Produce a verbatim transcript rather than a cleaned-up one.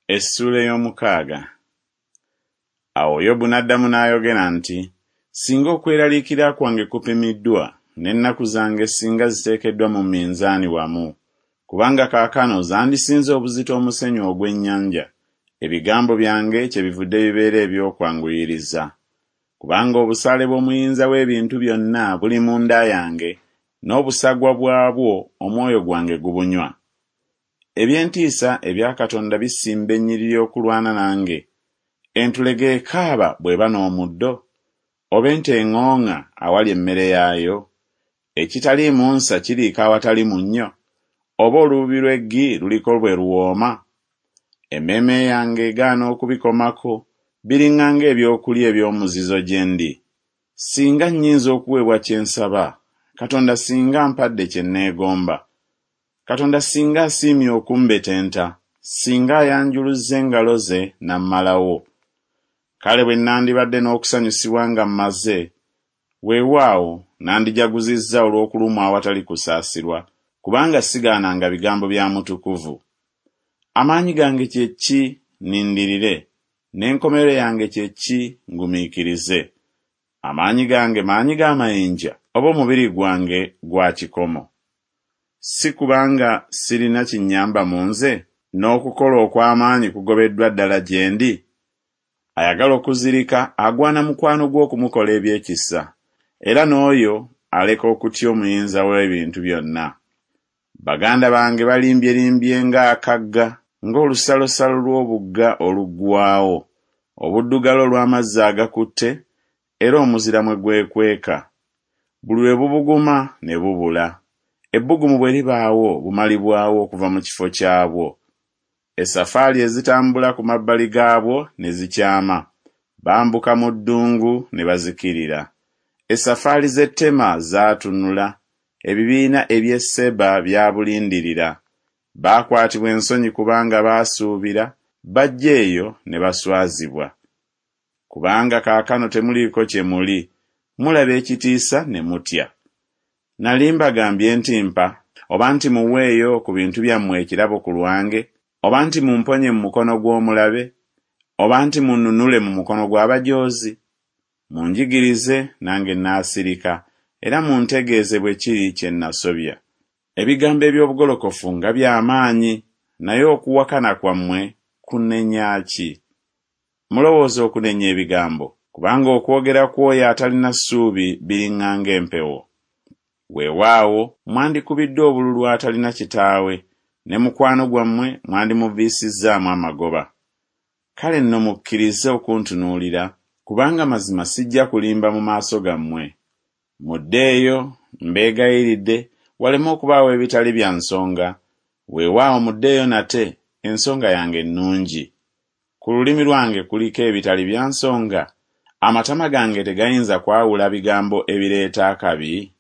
Essuula ey'omukaaga. Awo Yobu n'addamu n'ayogera nti, Singa okweraliikirira kwange kupimiddwa, n'ennaku zange singa ziteekeddwa mu minzaani wamu! Kubanga kaakano zandisinze obuzito omusenyu ogw'ennyanja, ebigambo byange kyebivudde bibeera eby'okwanguyiriza. Kubanga obusaale bw'Omuyinza w'ebintu byonna buli munda yange, n'obusagwa bwabwo omwoyo gwange gubunywa. Eby'entiisa ebya Katonda bisimba ennyiriri okulwana nange. Entulege ekaaba bw'eba n'omuddo? Oba ente eŋŋooŋŋa awali emmere yaayo? Ekitaliimu nsa kiriika awatali munnyo? Oba olububi lw'eggi luliko bwe luwooma? Emmeeme yange egaana okubikomako, biriŋŋanga ebyokulya eby'omuzizo gye ndi. Singa nnyinza okuweebwa kye nsaba, Katonda singa ampadde kye neegomba. Katonda singa asiimye okumbetenta, singa ayanjuluzza engalo ze n'ammalawo. Kale bwe nandibadde n'okusanyusibwa nga mmaze, weewaawo nandijaguzizza olw'okulumwa awatali kusaasirwa, kubanga sigaananga bigambo bya Mutukuvu. Amaanyi gange kye ki nnindirire, n'enkomerero yange kye ki ngumiikirize? Amaanyi gange maanyi ga mayinja, oba omubiri gwange gwa kikomo? Si kubanga sirina kinnyamba mu nze, n'okukola okw'amaanyi kugobeddwa ddala gye ndi? Ayagala okuzirika agwana mukwano gwe okumukola eby'ekisa, era n'oyo aleka okutya Omuyinza w'ebintu byonna. Baganda bange balimbyelimbye ng'akagga, ng'olusalosalo lw'obugga oluggwaawo, obuddugala olw'amazzi agakutte, era omuzira mwe gwekweka. Buli lwe bubuguma ne bubula. Ebbugumu bwe libaawo bumalibwawo okuva mu kifo kyabwo. Essafaali ezitambula ku mabbali gaabwo ne zikyama, bambuka mu ddungu ne bazikirira. Essafaali z'e Tema zaatunula, ebibiina eby'e Seba byabulindirira. Baakwatibwa ensonyi kubanga baasuubira, bajja eyo ne baswazibwa. Kubanga kaakano temuliiko kye muli, mulaba ekitiisa ne mutya. Nali mbagambye nti mpa, oba nti muweeyo ku bintu byammwe ekirabo ku lwange, oba nti mumponye mu mukono gw'omulabe, oba nti munnunule mu mukono gw'abajoozi? Munjigirize, nange nnaasirika, era muntegeeze bwe kiri kye nasobya. Ebigambo eby'obugolokofu nga bya maanyi, naye okuwakana kwammwe kunenya ki? Mulowooza okunenya ebigambo, kubanga okwogera kw'oyo atalina ssuubi biriŋŋanga empewo. Weewaawo mwandikubiddwa obululu atalina kitaawe, ne mukwano gwammwe mwandimuviisizzaamu amagoba. Kale nno mukkirize okuntunuulira, kubanga mazima sijja kulimba mu maaso gammwe. Muddeeyo, mbeegayiridde, waleme okubaawo ebitali bya nsonga. Weewaawo muddeeyo nate, ensonga yange nnungi. Ku lulimi lwange kuliko ebitali bya nsonga? Amatama gange tegayinza kwawula bigambo ebireeta akabi?